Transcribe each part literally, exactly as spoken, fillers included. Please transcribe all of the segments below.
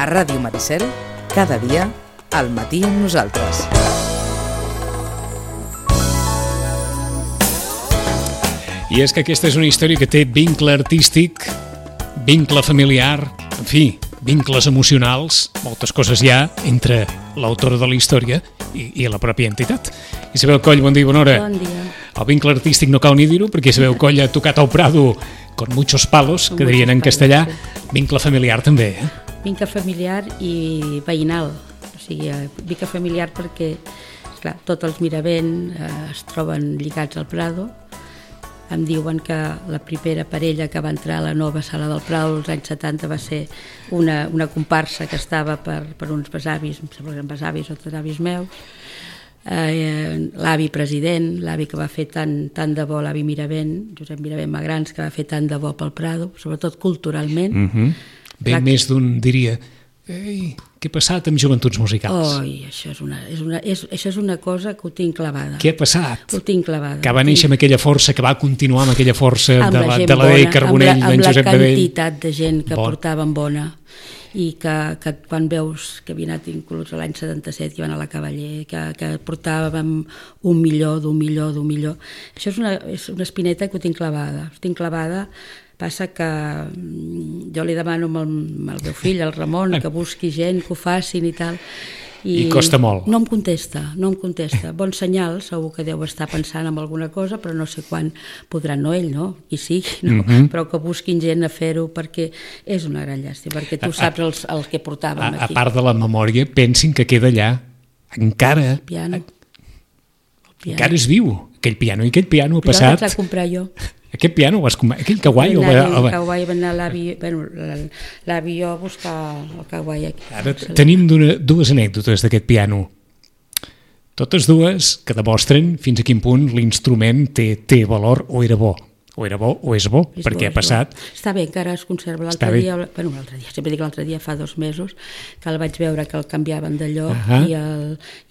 A Ràdio Maricel, cada dia, al matí amb nosaltres. I és que aquesta és una història que té vincle artístic, vincle familiar, en fi, vincles emocionals, moltes coses hi ha entre l'autora de la història i, i la pròpia entitat. Isabel Coll, bon dia i bona hora. Bon dia. El vincle artístic no cal ni dir-ho, perquè Isabel Coll ha tocat al Prado con muchos palos, Con que dirien en muchos castellà. palos, sí. Vincle familiar també, eh? Vincle familiar i veïnal. O sigui, vincle familiar perquè, esclar, tots els Miravent eh, es troben lligats al Prado. Em diuen que la primera parella que va entrar a la nova sala del Prado als anys setanta va ser una, una comparsa que estava per, per uns besavis, em sembla que eren besavis o tatavis meus, eh, l'avi president, l'avi que va fer tant, tant de bo, l'avi Miravent, Josep Miravent Magrans, que va fer tant de bo pel Prado, sobretot culturalment. Mm-hmm. Ben Clar, més d'un diria, ei, què ha passat amb Joventuts Musicals? Oi, això és, una, és, una, és, això és una cosa que ho tinc clavada. Què ha passat? Ho tinc clavada. Que va néixer amb aquella força, que va continuar amb aquella força Amb de la la, gent de la Dei bona, Carbonell, amb la, d'en amb la Josep Bedell. quantitat de gent que Bon. portaven bona i que, que quan veus que havia anat inclús l'any setanta-set, que iban a la Cavaller, que, que portàvem un milió, d'un milió, d'un milió. Això és una, és una espineta que ho tinc clavada. Ho tinc clavada. Passa que jo li demano al, al meu fill, al Ramon, que busqui gent, que ho facin i tal. I costa molt. No em contesta, no em contesta. Bon senyal, segur que deu estar pensant en alguna cosa, però no sé quan podrà, no ell, no? Qui sigui, no? Mm-hmm. Però que busquin gent a fer-ho, perquè és una gran llàstima, perquè tu saps els, els que portàvem A, a aquí. part de la memòria, pensin que queda allà, encara, Piano. Piano. encara és viu, aquell piano, i aquell piano ha Però passat... vaig a comprar jo. Aquest piano, vas com... aquell kawaii... Va el, anar el, el kawaii, va anar l'avi, bueno, l'avi jo a buscar el kawaii aquí. Ara tenim d'una, dues anècdotes d'aquest piano. Totes dues que demostren fins a quin punt l'instrument té, té valor o era bo. O era bo o és bo, És perquè bo, ha és passat... bo. Està bé, encara es conserva. Està L'altre bé. dia, bueno, l'altre dia, sempre dic l'altre dia, fa dos mesos, que el vaig veure que el canviaven de lloc Ahà. i, el,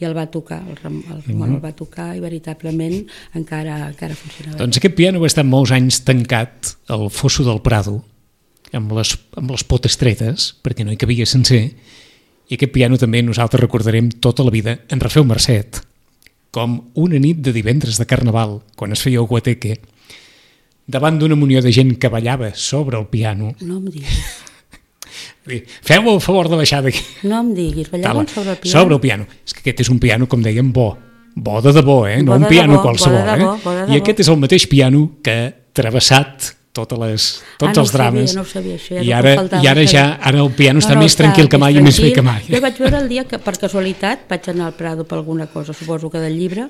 i el va tocar, el, Ram- el Ramon el va tocar i veritablement encara, encara funcionava. Doncs aquest piano va estar molts anys tancat al fosso del Prado, amb les, amb les potes tretes, perquè no hi cabia sencer, i aquest piano també nosaltres recordarem tota la vida en Rafeu Mercet, com una nit de divendres de Carnaval, quan es feia el guateque, davant d'una munió de gent que ballava sobre el piano. No em diguis, Feu el favor de baixar d'aquí. no em diguis, ballaven Tala, sobre el piano. Sobre el piano. És que aquest és un piano, com dèiem, bo. Bo de debò, eh? No Bo un de piano debò, bo qualsevol, de debò, eh? bo de I debò. aquest és el mateix piano que ha travessat totes les, tots Ah, no els ho sabia, drames. no ho sabia, això ja I és el que ara, faltava, i ara no ja sabia. ara el piano està No, no, més tranquil que mai i més bé tranquil. que mai. Jo vaig veure el dia que per casualitat vaig anar al Prado per alguna cosa, suposo que del llibre,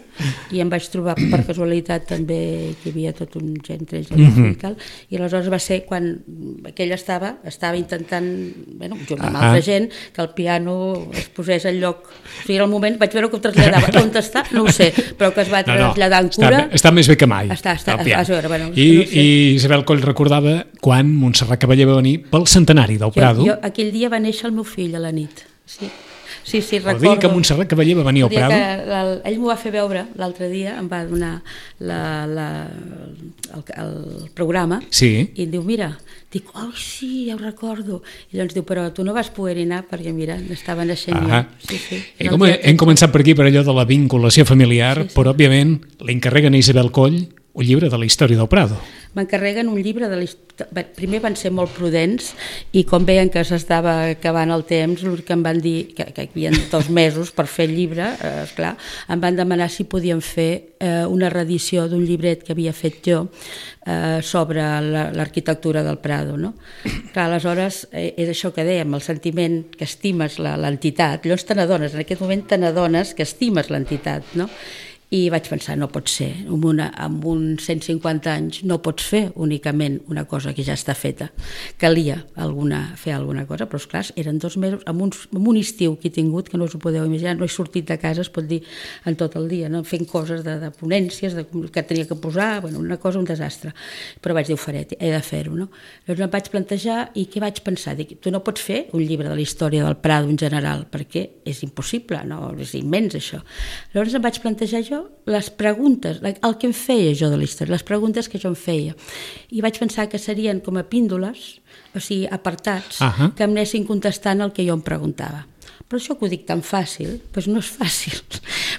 i em vaig trobar per casualitat també que hi havia tot un gent entre ells Mhm. i tal, i aleshores va ser quan aquell estava, estava intentant, bueno, junt amb Ah. altra gent, que el piano es posés al lloc. O sigui, era el moment, vaig veure que ho traslladava. On està? No ho sé, però que es va traslladar amb està, cura. està més bé que mai. Està, està, el piano. a veure, bueno, I, no sé. I Isabel Coll recordava quan Montserrat Cavaller va venir pel centenari del Prado. Jo, jo, aquell dia va néixer el meu fill a la nit. Sí, sí, sí el recordo. dia que Montserrat Cavaller va venir El al dia Prado. que el, ell m'ho va fer veure l'altre dia, em va donar la, la, el, el programa Sí. i em diu, mira, dic, oh sí, ja ho recordo. I llavors diu, però tu no vas poder anar perquè, mira, estava naixent Ah, jo. Sí, sí. Hem, El dia que- hem començat per aquí per allò de la vinculació familiar, Sí, sí. però òbviament li encarreguen a Isabel Coll un llibre de la història del Prado. M'encarreguen un llibre de la història. Primer van ser molt prudents i com veien que s'estava acabant el temps, l'únic que em van dir que, que hi havia dos mesos per fer el llibre, eh, esclar, em van demanar si podien fer eh, una reedició d'un llibret que havia fet jo eh, sobre la- l'arquitectura del Prado. No? Clar, aleshores, eh, és això que dèiem, el sentiment que estimes la- l'entitat. Llavors te n'adones, en aquest moment te n'adones que estimes l'entitat, no? I vaig pensar, no pot ser, amb, una, amb uns cent cinquanta anys no pots fer únicament una cosa que ja està feta. Calia alguna, fer alguna cosa, però esclar, eren dos mesos, amb, uns, amb un estiu que he tingut, que no us ho podeu imaginar, no he sortit de casa, es pot dir, en tot el dia, no? Fent coses de, de ponències, de, que tenia que posar, bueno, una cosa, un desastre. Però vaig dir, ho faré, he de fer-ho, no? Llavors em vaig plantejar, i què vaig pensar? Dic, tu no pots fer un llibre de la història del Prado en general, perquè és impossible, no? És immens, això. Llavors em vaig plantejar jo les preguntes, el que em feia jo de la història, les preguntes que jo em feia. I vaig pensar que serien com a píndoles, o sigui, apartats, uh-huh. que em anessin contestant el que jo em preguntava. Però això que ho dic tan fàcil, doncs no és fàcil,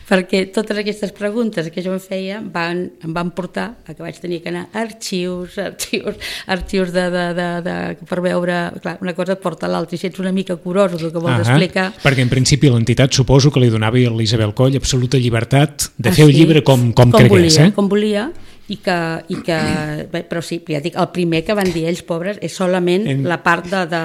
perquè totes aquestes preguntes que jo em feia van, em van portar a que vaig tenir que anar a arxius, arxius, arxius de, de, de, de, per veure, clar, una cosa et porta a l'altra, i si ets una mica curós el que vols uh-huh. explicar... Perquè en principi l'entitat suposo que li donava a l'Isabel Coll absoluta llibertat de ah, fer el sí? llibre com, com, com cregués, volia, eh? Com volia, i que, i que bé, però sí, ja dic, el primer que van dir ells, pobres, és solament en... la part de, de...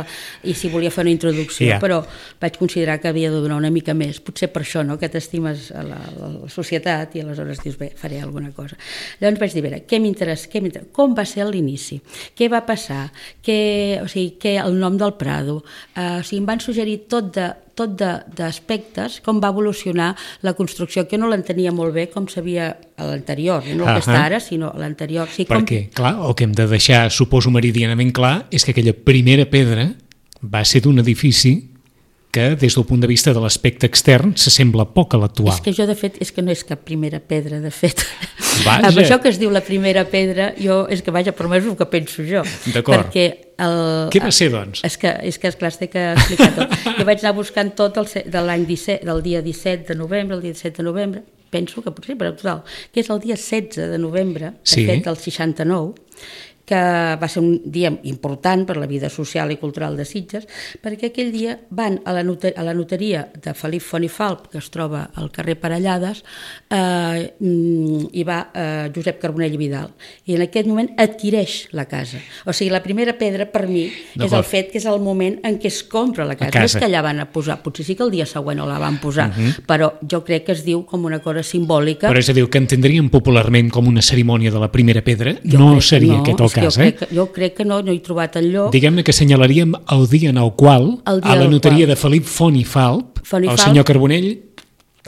i si volia fer una introducció, yeah. però vaig considerar que havia de donar una mica més, potser per això, no?, que t'estimes a la, a la societat i aleshores dius, bé, faré alguna cosa. Llavors vaig dir, bé, què m'interessa, què m'interessa, com va ser l'inici, què va passar, què, o sigui, què, el nom del Prado, uh, o sigui, em van suggerir tot de tot d'aspectes, com va evolucionar la construcció, que no l'entenia molt bé com sabia a l'anterior, no el que està ara, sinó a l'anterior. Sí, perquè, com... clar, el que hem de deixar, suposo, meridianament clar, és que aquella primera pedra va ser d'un edifici que, des del punt de vista de l'aspecte extern, s'assembla poc a l'actual. És que jo, de fet, és que no és cap primera pedra, de fet. Vaja. Amb això que es diu la primera pedra, jo, és que vaja, per més el que penso jo. D'acord. Perquè el, què va ser, doncs? És que, és que esclar, té que explicar tot. Jo vaig anar buscant tot el, de l'any disset, del dia disset de novembre, el dia disset de novembre, penso que potser, però total, que és el dia setze de novembre, de sí. fet, del seixanta-nou, que va ser un dia important per la vida social i cultural de Sitges, perquè aquell dia van a la, noter, a la notaria de Felip Font i Falp, que es troba al carrer Parellades, eh, i va eh, Josep Carbonell i Vidal, i en aquest moment adquireix la casa. O sigui, la primera pedra per mi és el fet que és el moment en què es compra la casa. La casa. No és que allà van a posar, potser sí que el dia següent no la van posar, uh-huh. però jo crec que es diu com una cosa simbòlica. Però és a dir, que entendríem popularment com una cerimònia de la primera pedra, jo no seria no, aquest el cas, jo eh? Crec que, jo crec que no, no he trobat el lloc. Diguem-ne que senyalaríem el dia en el qual, el a la notaria qual. de Felip Font i Falp, Font i el Falp, senyor Carbonell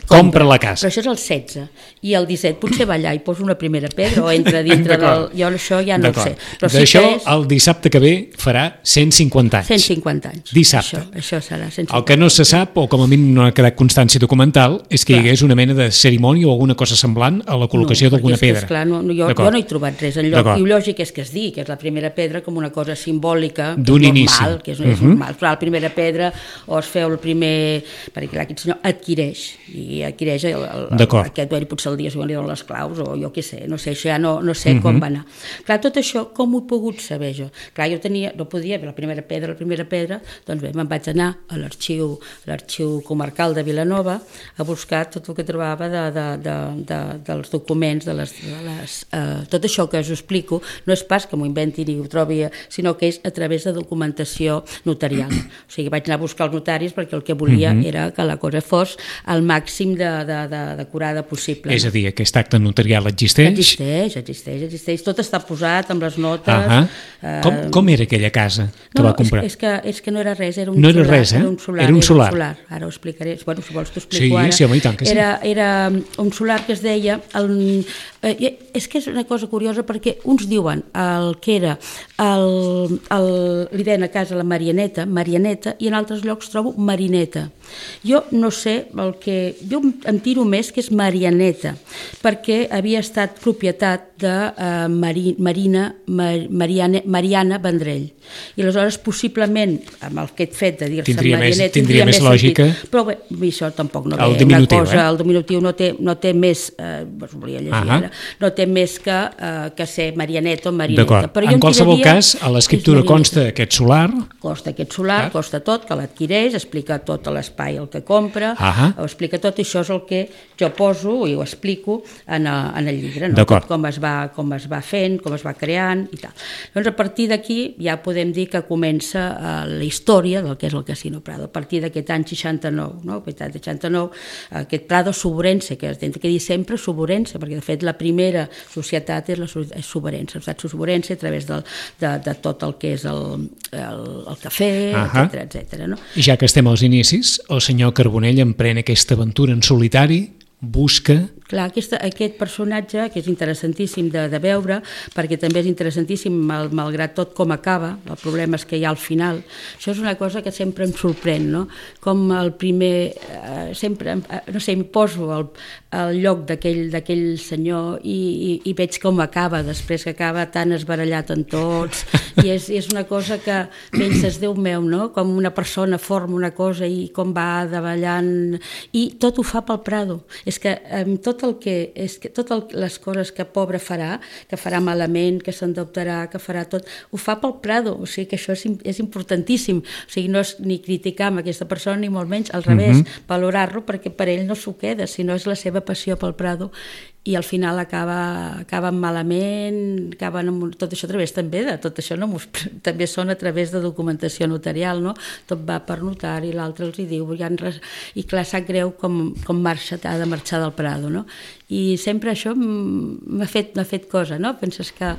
compra la casa. Però això és el setze, i el disset potser va allà i posa una primera pedra o entra dintre del... Jo això ja no ho sé. D'això, sí és... el dissabte que ve farà cent cinquanta anys. cent cinquanta anys. Dissabte. Això, això serà cent cinquanta. El que no se sap, o com a mínim no ha quedat constància documental, és que clar. hi hagués una mena de cerimònia o alguna cosa semblant a la col·locació no, d'alguna pedra. Esclar, no, no, jo, jo no he trobat res enlloc. I lògic és que es digui que és la primera pedra com una cosa simbòlica, d'un inici. Normal, que és, uh-huh. és normal. Clar, la primera pedra, o es feu el primer... perquè clar, aquest senyor adquireix, i adquireix el, el, el, aquest, potser el dia següent li donen les claus, o jo què sé, no sé, això ja no, no sé uh-huh. com va anar. Clar, tot això, com ho he pogut saber jo? Clar, jo tenia, no podia ver la primera pedra, la primera pedra, doncs bé, me'n vaig anar a l'arxiu l'arxiu comarcal de Vilanova a buscar tot el que trobava de, de, de, de, dels documents, de les... De les uh, tot això que us explico no és pas que m'ho inventi ni ho trobi, sinó que és a través de documentació notarial. O sigui, vaig anar a buscar els notaris perquè el que volia uh-huh. era que la cosa fos al màxim de, de, de, de curada possible. És a dir, aquest acte notarial existeix? Existeix, existeix, existeix. Tot està posat amb les notes. Uh-huh. uh, com, com era aquella casa que no, va comprar? És, és, que, és que no era res, era un no solar. Era res, eh? Era un solar. Era un solar. Era un solar. Ara ho explicaré. Bueno, si vols t'ho explico sí, ara. Sí, home, i tant que sí. Era, era un solar que es deia... El, eh, és que és una cosa curiosa perquè uns diuen el que era el, el, li deien a casa la Marianeta, Marianeta, i en altres llocs trobo Marineta. Jo no sé el que... Jo em tiro més que és Marianeta, perquè havia estat propietat de uh, Mari, Marina Mar, Mariana, Mariana Vendrell. I aleshores, possiblement, amb aquest fet de dir-se Marianeta... Tindria més lògica. Sentit. Però bé, això tampoc no el té una cosa... Eh? El diminutiu no té, no té més... Eh, us volia llegir uh-huh. ara, no té més que, eh, que ser Marianeta o Marineta. D'acord. En qualsevol cas, a l'escriptura consta aquest solar... Costa aquest solar, ah. costa tot, que l'adquireix, explica tot l'espai el que compra, uh-huh. ho explica tot, i això és el que jo poso i ho explico en, a, en el llibre, no? Tot com es, va, com es va fent, com es va creant i tal. Doncs a partir d'aquí ja podem dir que comença uh, la història del que és el Casino Prado, a partir d'aquest any seixanta-nou, no? Aquest any seixanta-nou, aquest Prado Soborense, que es té que dir sempre Soborense, perquè de fet la primera societat és la és Soborense, la societat Soborense a través del, de, de tot el que és el, el, el cafè, uh-huh. etcètera, etcètera, no? I ja que estem als inicis, el senyor Carbonell emprèn aquesta aventura en solitari, busca Clar, aquesta, aquest personatge, que és interessantíssim de, de veure, perquè també és interessantíssim, mal, malgrat tot, com acaba, el problema és que hi ha al final. Això és una cosa que sempre em sorprèn, no? Com el primer, eh, sempre, eh, no sé, em poso al, al lloc d'aquell senyor i, i, i veig com acaba, després que acaba tan esbarallat en tots, i és, és una cosa que penses, Déu meu, no? Com una persona forma una cosa i com va davallant, i tot ho fa pel Prado. És que amb tot el que, és que totes les coses que pobre farà, que farà malament, que s'endeutarà, que farà tot, ho fa pel Prado, o sigui que això és, és importantíssim, o sigui, no és ni criticar amb aquesta persona, ni molt menys, al revés, uh -huh. valorar-lo, perquè per ell no s'ho queda, sinó és la seva passió pel Prado, i al final acaba, acaben malament, acaben amb tot això a través també de tot això, no, també són a través de documentació notarial, no? Tot va per notari, l'altre els hi diu, ja res, i clar, sap greu com, com marxa, ha de marxar del Prado, no? I sempre això m'ha fet, m'ha fet cosa, no? Penses que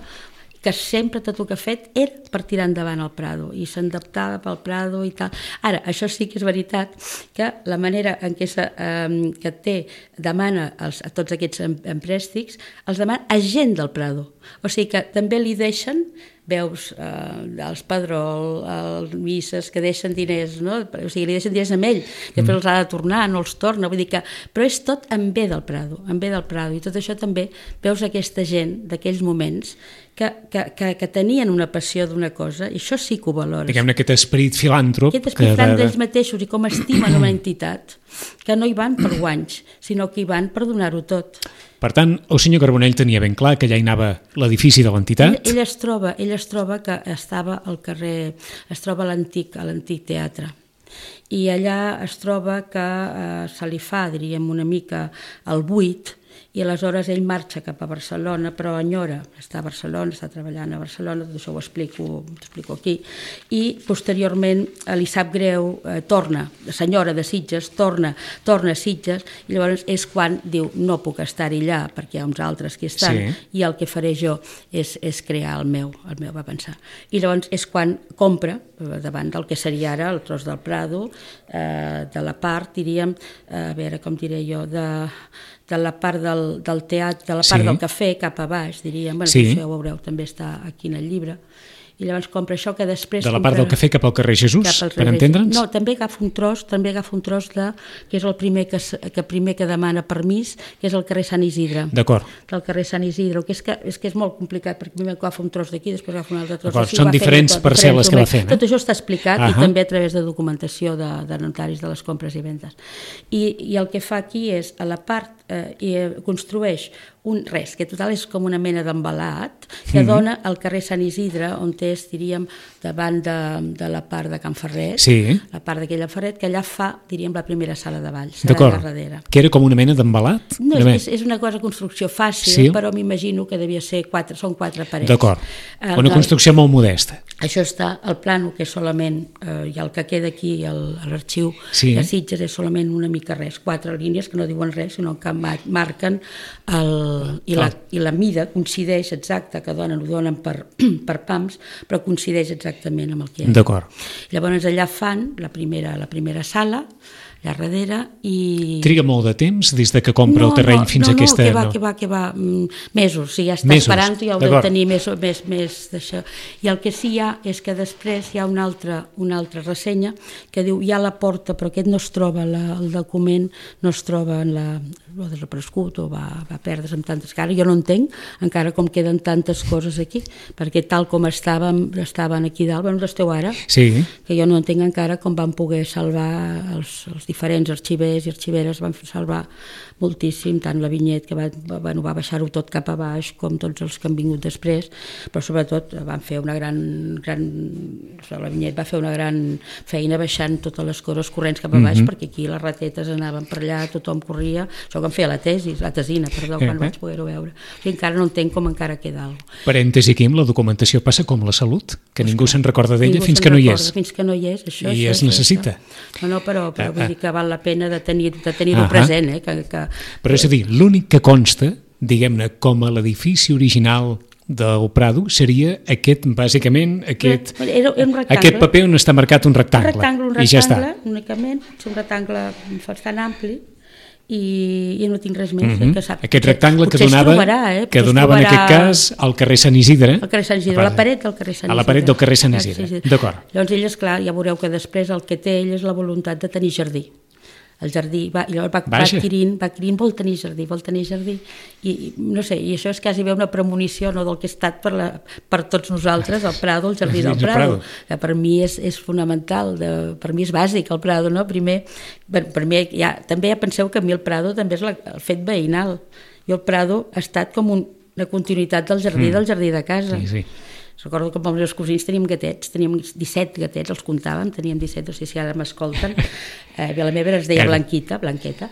que sempre tot el que ha fet era per tirar endavant el Prado i s'adaptava pel Prado i tal. Ara, això sí que és veritat que la manera en què se, eh, que té, demana els, a tots aquests emprèstics, els demana a gent del Prado. O sigui que també li deixen, veus eh, els Pedrol, els Misses, que deixen diners, no? O sigui, li deixen diners amb ell, després els ha de tornar, no els torna, vull dir que, però és tot en bé del Prado, en bé del Prado, i tot això també veus aquesta gent d'aquells moments que, que, que, que tenien una passió d'una cosa, i això sí que ho valores. Diguem-ne aquest esperit filàntrop. Aquest esperit filàntrop d'ells mateixos, i com estimen una entitat, que no hi van per guanys, sinó que hi van per donar-ho tot. Per tant, el senyor Carbonell tenia ben clar que allà hi anava l'edifici de l'entitat. Ell, ell es troba, ell es troba que estava al carrer, es troba a l'antic, a l'antic teatre, i allà es troba que eh, se li fa, diríem, una mica el buit, i aleshores ell marxa cap a Barcelona, però enyora, està a Barcelona, està treballant a Barcelona, tot això ho explico, ho explico aquí, i posteriorment li sap greu, eh, torna, la senyora de Sitges, torna, torna a Sitges, i llavors és quan diu, no puc estar-hi allà, perquè hi ha uns altres que estan, sí. I el que faré jo és, és crear el meu, el meu, va pensar. I llavors és quan compra, davant del que seria ara el tros del Prado, eh, de la part, diríem, eh, a veure com diré jo, de... de la part del, del teatre, de la part sí. del cafè cap a baix, diríem, bueno, sí. Això ja ho veureu, també està aquí en el llibre, i llavors compra això que després... De la compra, part del cafè cap al carrer Jesús, per entendre'ns? No, també agafa un tros, també agafa un tros de, que és el primer que, que primer que demana permís, que és el carrer Sant Isidre. D'acord. Del carrer Sant Isidre, que és que és, que és molt complicat, perquè primer agafa un tros d'aquí, després agafa un altre tros d'aquí. Són diferents tot, parcel·les que va fent. Eh? Tot això està explicat, uh -huh. I també a través de documentació de, de notaris de les compres i vendes. I, i el que fa aquí és, a la part, eh, i construeix un res, que total és com una mena d'embalat, que mm-hmm. dona al carrer Sant Isidre, on és, diríem, davant de, de la part de Can Ferret, sí. La part d'aquella Ferret, que allà fa, diríem, la primera sala de ball, d'acord, que era com una mena d'embalat? No, és, és una cosa de construcció fàcil, sí. Però m'imagino que devia ser quatre, són quatre parets. D'acord, una el, construcció molt modesta. Això està, el plano, que és solament, eh, i el que queda aquí a l'arxiu sí. de Sitges és solament una mica res, quatre línies que no diuen res, sinó que marquen el I la, i la mida coincideix exacta, que donen, ho donen per, per pams, però coincideix exactament amb el que hi ha. D'acord. Llavors allà fan la primera, la primera sala, allà darrere, i... Triga molt de temps des de que compra no, el terreny no, fins no, a aquesta... No, que va, que va, que va, mesos, si ja està mesos. Esperant, ja ho deu tenir més, més, més d'això. I el que sí hi ha és que després hi ha una altra, una altra ressenya que diu, hi ha la porta, però aquest no es troba, la, el document no es troba en la... o desaparegut o va, va perdre's amb tantes... Que ara jo no entenc encara com queden tantes coses aquí, perquè tal com estàvem, estaven aquí dalt, bueno, esteu ara, sí. Que jo no entenc encara com van poder salvar els, els diferents arxivers i arxiveres, van salvar moltíssim, tant la Vinyet, que va, bueno, va baixar-ho tot cap a baix, com tots els que han vingut després, però sobretot van fer una gran... gran la Vinyet va fer una gran feina baixant totes les coses corrents cap a baix, mm-hmm. perquè aquí les ratetes anaven per allà, tothom corria, això que em feia la tesi, la tesina, perdó, quan eh, vaig poder-ho veure. O sigui, encara no entenc com encara queda alguna cosa. Parèntesi aquí, amb la documentació passa com la salut, que ningú se'n recorda d'ella fins que no hi és. Fins que no hi és, això. I això, es necessita. Això. No, no, però, però ah, vull dir que val la pena de tenir-ho de tenir present. Eh, que, que, però és a dir, l'únic que consta, diguem-ne, com a l'edifici original del Prado seria aquest, bàsicament, aquest, era, era aquest paper on està marcat un rectangle. Un rectangle, un rectangle, i ja està. Únicament, és un rectangle bastant ampli, i, i no tinc res més. Mm-hmm. Que sap, aquest rectangle que potser es donava, trobarà, eh? que Potser es donava en trobarà aquest cas al carrer Sant Isidre. al carrer Sant Isidre, a la paret del carrer Sant Isidre. A la paret del carrer Sant Isidre, d'acord. Llavors ell, esclar, ja veureu que després el que té ell és la voluntat de tenir jardí. El jardí, va, i llavors va, va adquirint, va adquirint, vol tenir jardí, vol tenir jardí, i no sé, i això és quasi bé una premonició, no, del que ha estat per, la, per tots nosaltres, el Prado, el jardí del Prado, que per mi és, és fonamental, de, per mi és bàsic el Prado, no? Primer, per, per mi, ja, també ja penseu que a mi el Prado també és la, el fet veïnal, i el Prado ha estat com un, una continuïtat del jardí, mm. del jardí de casa. Sí, sí. Recordo que amb els meus cosins teníem gatets, teníem disset gatets, els comptàvem, teníem disset, no sé si ara m'escolten, eh, la meva es deia Blanquita, Blanqueta,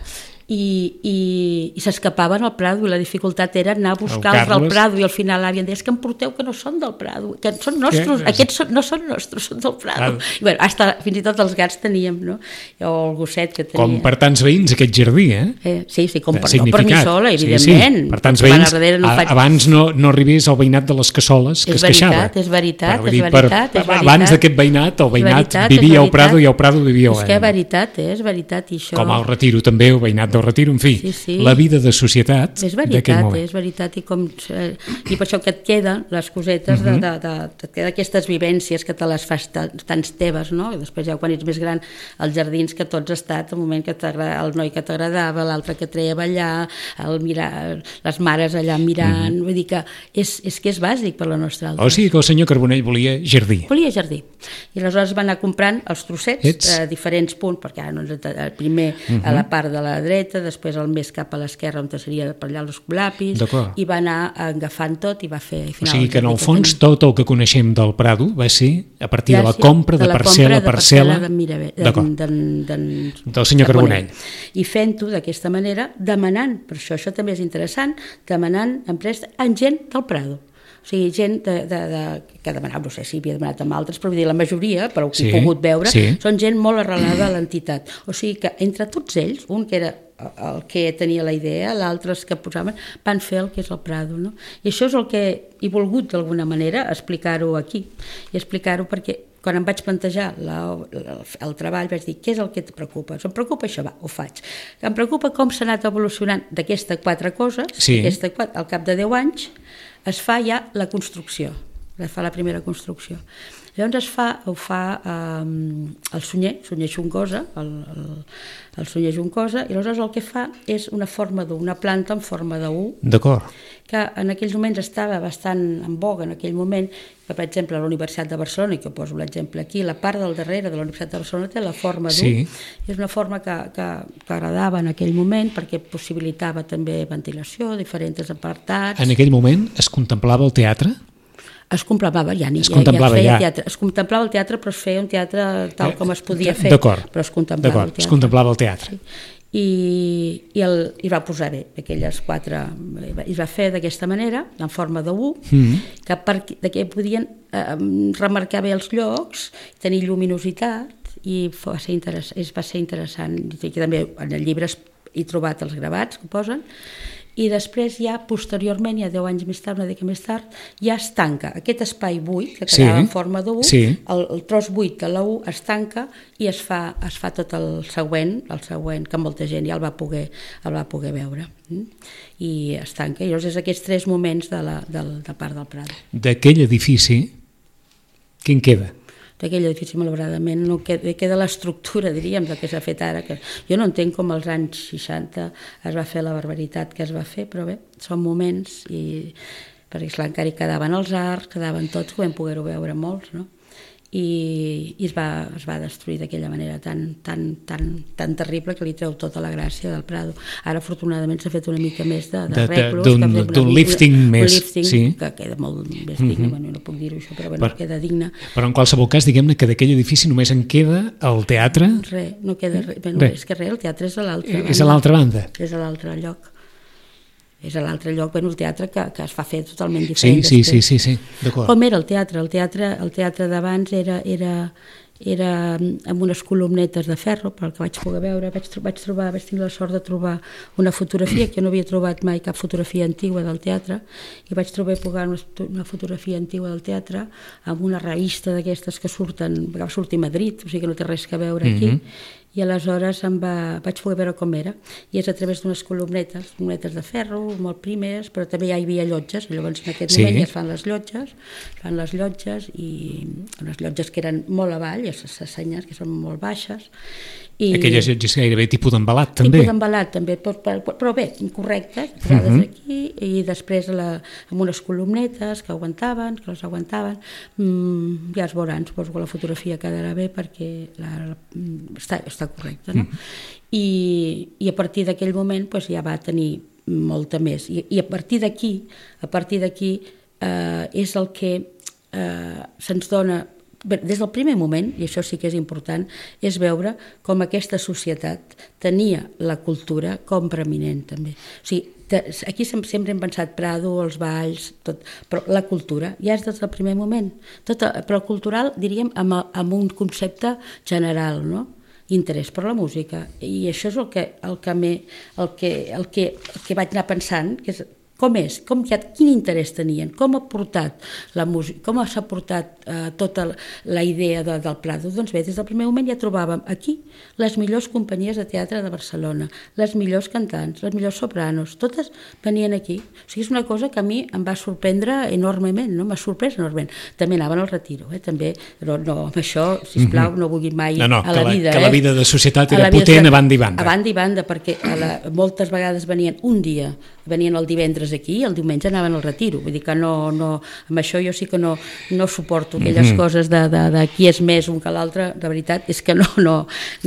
i, i, i s'escapaven al Prado, i la dificultat era anar a buscar-los del Prado, i al final l'àvia em deia, és que em porteu que no són del Prado, que són nostres, que? Aquests són, no són nostres, són del Prado. Ah. I bueno, hasta, fins i tot els gats teníem, no? O el gosset que tenia. Com per tants veïns aquest jardí, eh? eh sí, sí, com per, no per mi sola, evidentment. Sí, sí. Per tants veïns, no faig... abans no, no arribés al veïnat de les Cassoles, que és es queixava. És veritat, per, és veritat, per, és veritat. Abans d'aquest veïnat, el veïnat vivia al Prado i al Prado vivia al... És que és veritat, eh? És veritat, i això... Com al Retiro també, el veïnat del Retiro, en fi. Sí, sí. La vida de societat d'aquell moment. És veritat, i, com, eh, i per això que et queden les cosetes, uh-huh. de, de, de, de, d'aquestes vivències que te les fas tants teves, no? I després ja quan ets més gran, els jardins que tots has estat, el moment que el noi que t'agradava, l'altre que treia a ballar, el mirar, les mares allà mirant, uh-huh. vull dir que és, és que és bàsic per la nostra altra. O sigui que el senyor Carbonell volia jardí. Volia jardí. I aleshores va anar comprant els trossets a diferents punts, perquè ara no ens, primer uh-huh. a la part de la dreta, després el més cap a l'esquerra on seria per allà els escolapis, i va anar agafant tot i va fer... Final, o sigui que en el fons tot el que coneixem del Prado va ser a partir de la compra de parcel·la a parcel·la del senyor Carbonell. I fent-ho d'aquesta manera, demanant, per això això també és interessant, demanant empreses en gent del Prado. O sigui, gent de, de, de, que demanava, no sé si havia demanat amb altres, però vull dir, la majoria, per ho que sí, he pogut veure, sí. són gent molt arrelada a l'entitat. O sigui que entre tots ells, un que era el que tenia la idea, l'altre que posaven, van fer el que és el Prado, no? I això és el que he volgut d'alguna manera explicar-ho aquí, i explicar-ho perquè quan em vaig plantejar la, la, el treball vaig dir, què és el que et preocupa? Em preocupa això, va, ho faig. Em preocupa com s'ha anat evolucionant d'aquestes quatre coses, sí. aquesta, al cap de deu anys, es fa ja la construcció, es fa la primera construcció. Llavors es fa, ho fa um, el Sunyer, Sunyer Juncosa, el, el, el Sunyer Juncosa, i aleshores el que fa és una forma d'U, una planta en forma d'U, d'acord, que en aquells moments estava bastant en boga, en aquell moment, que per exemple a la Universitat de Barcelona, i que poso l'exemple aquí, la part del darrere de la Universitat de Barcelona té la forma d'U, sí. és una forma que, que, que agradava en aquell moment perquè possibilitava també ventilació, diferents apartats. En aquell moment es contemplava el teatre? Es contemplava, ja, es, ja, contemplava ja, ja. Teatre. es contemplava el teatre, però es feia un teatre tal com es podia fer, d'acord, però es contemplava d'acord, el teatre. Es contemplava el teatre. Sí. I, i, el, i va posar bé aquelles quatre, i va fer d'aquesta manera, en forma d'U, mm-hmm. que, per, de que podien eh, remarcar bé els llocs, tenir lluminositat, i va ser, interess, va ser interessant. I també en el llibre he trobat els gravats que posen, i després ja posteriorment, ja deu anys més tard, una mica més tard, ja es tanca aquest espai buit que quedava sí, en forma d'U, sí. el, el tros buit de la U es tanca i es fa, es fa tot el següent, el següent, que molta gent ja el va poder, el va poder veure. I es tanca. I llavors és aquests tres moments de la, de la part del Prado. D'aquell edifici, què en queda? D'aquell edifici, malauradament, no queda, queda l'estructura, diríem, del que s'ha fet ara. Que jo no entenc com als anys seixanta es va fer la barbaritat que es va fer, però bé, són moments, i perquè esclar, encara hi quedaven els arcs, quedaven tots, que vam poder-ho veure molts, no? I, i es, va, es va destruir d'aquella manera tan, tan, tan, tan terrible que li treu tota la gràcia del Prado. Ara, afortunadament, s'ha fet una mica més de, de, de reclos. D'un lifting més. Un lifting sí. que queda molt més digne, mm-hmm. bueno, no puc dir-ho això, però bueno, per, queda digne. Però en qualsevol cas, diguem-ne que d'aquell edifici només en queda el teatre? Res, no queda res. Bueno, re. És que res, el teatre és a l'altra banda. És a l'altra banda? És a l'altre lloc. És a l'altre lloc, bueno, el teatre que, que es va fer totalment diferent. Sí, sí, sí, sí, sí. D'acord. Com era el teatre? El teatre, el teatre d'abans era, era, era amb unes columnetes de ferro, pel que vaig poder veure, vaig, vaig trobar, vaig tenir la sort de trobar una fotografia, que jo no havia trobat mai cap fotografia antigua del teatre, i vaig trobar una, una fotografia antigua del teatre amb una revista d'aquestes que surten, que va sortir a Madrid, o sigui que no té res a veure aquí, mm-hmm. I aleshores em va, vaig poder veure com era, i és a través d'unes columnetes, columnetes de ferro, molt primeres, però també ja hi havia llotges, i llavors en aquest sí. moment ja es fan les llotges, fan les llotges, i unes llotges que eren molt avall, i les senyes que són molt baixes. I aquelles llotges gairebé tipus d'embalat, també. Tipus d'embalat, també, però, però bé, correctes, posades uh-huh. aquí, i després la, amb unes columnetes que aguantaven, que les aguantaven, mm, ja es veuran, suposo que la fotografia quedarà bé perquè la, la, està, està correcta, no? Uh-huh. I, i a partir d'aquell moment pues, ja va tenir molta més, i, i a partir d'aquí, a partir d'aquí eh, és el que eh, se'ns dona. Bé, des del primer moment, i això sí que és important, és veure com aquesta societat tenia la cultura com preeminent també. O sigui, aquí sempre hem pensat Prado, els balls, tot, però la cultura ja és des del primer moment. Tot, però el cultural, diríem, amb, amb un concepte general, no? Interès per la música. I això és el que, el que, me, el que, el que, el que vaig anar pensant, que és com és, com ha, quin interès tenien, com ha portat la música, com s'ha portat eh, tota la idea de, del Prado. Doncs bé, des del primer moment ja trobàvem aquí les millors companyies de teatre de Barcelona, les millors cantants, les millors sopranos, totes venien aquí. O sigui, és una cosa que a mi em va sorprendre enormement, no? M'ha sorprès enormement. També anaven al retiro, eh? També, però no, amb això, sisplau, mm-hmm. no vulguin mai no, no, a la, la vida. Que eh? la vida de societat era potent a banda i banda. A banda i banda, perquè a la, moltes vegades venien un dia, venien el divendres aquí i el diumenge anaven al retiro. Vull dir que no, no, amb això jo sí que no, no suporto aquelles mm-hmm. coses de, de, de qui és més un que l'altre. De veritat és que no, no,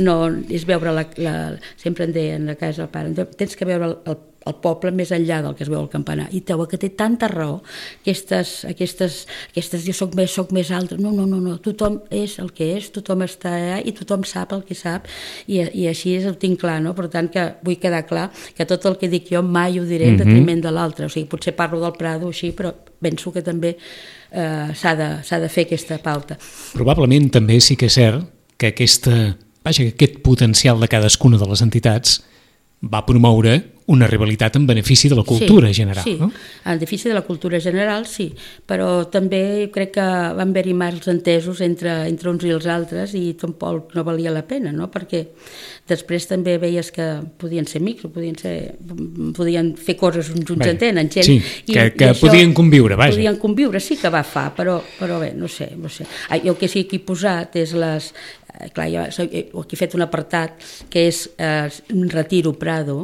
no és veure la, la, sempre em deien a casa el pare, tens que veure el, el el poble més enllà del que es veu al campanar, i trobo que té tanta raó, aquestes, aquestes, aquestes jo soc més, soc més altre, no, no, no, no, tothom és el que és, tothom està allà i tothom sap el que sap, i, i així ho tinc clar, no? Per tant que vull quedar clar que tot el que dic jo mai ho diré en detriment de l'altre, o sigui, potser parlo del Prado així, però penso que també eh, s'ha de, s'ha de fer aquesta pauta. Probablement també sí que és cert que aquesta, vaja, que aquest potencial de cadascuna de les entitats va promoure una rivalitat en benefici de la cultura sí, general, sí. no? En benefici de la cultura general, sí, però també crec que van haver-hi mals entesos entre, entre uns i els altres i tampoc no valia la pena, no? Perquè després també veies que podien ser amics, o podien, ser, podien fer coses uns uns entenen, gent... Sí, i, que, que i podien conviure, vaja. Podien conviure, sí que va fa, però, però bé, no sé, no sé. Jo el que sí que he posat és les... Clar, jo aquí he fet un apartat que és eh, un retiro Prado,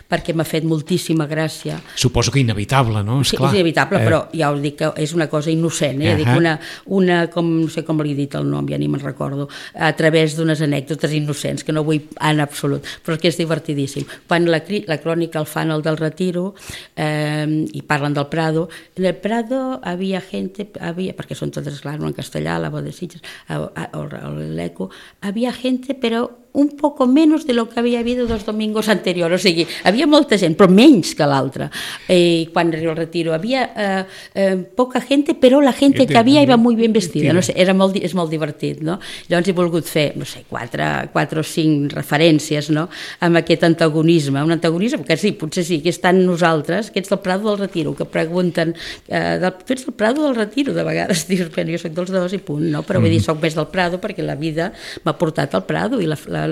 perquè m'ha fet moltíssima gràcia. Suposo que inevitable, no? Sí, esclar. és inevitable, eh... però ja us dic que és una cosa innocent, eh? Uh-huh. Dic una, una com, no sé com li he dit el nom, ja ni me'n recordo, a través d'unes anècdotes innocents, que no vull en absolut, però que és divertidíssim. Quan la, la crònica el fan el del retiro, eh, i parlen del Prado, en el Prado havia gente, havia, perquè són totes, clar, no en castellà, la voz de Sitges, o l'eco, havia gente, però un poco menos de lo que había habido dos domingos anteriores, o sigui, havia molta gent, però menys que l'altra. Eh, quan arriba el retiro, havia eh, eh, poca gente, però la gente que havia iba muy bien vestida, no sé, era molt, és molt divertit, no? Llavors he volgut fer, no sé, quatre, quatre o cinc referències, no?, amb aquest antagonisme, un antagonisme que sí, potser sí, que estan nosaltres, que ets del Prado del Retiro, que pregunten, eh, del, tu ets del Prado del Retiro, de vegades dius, jo soc dels dos i punt, no? Però vull dir, soc més del Prado perquè la vida m'ha portat al Prado i la, la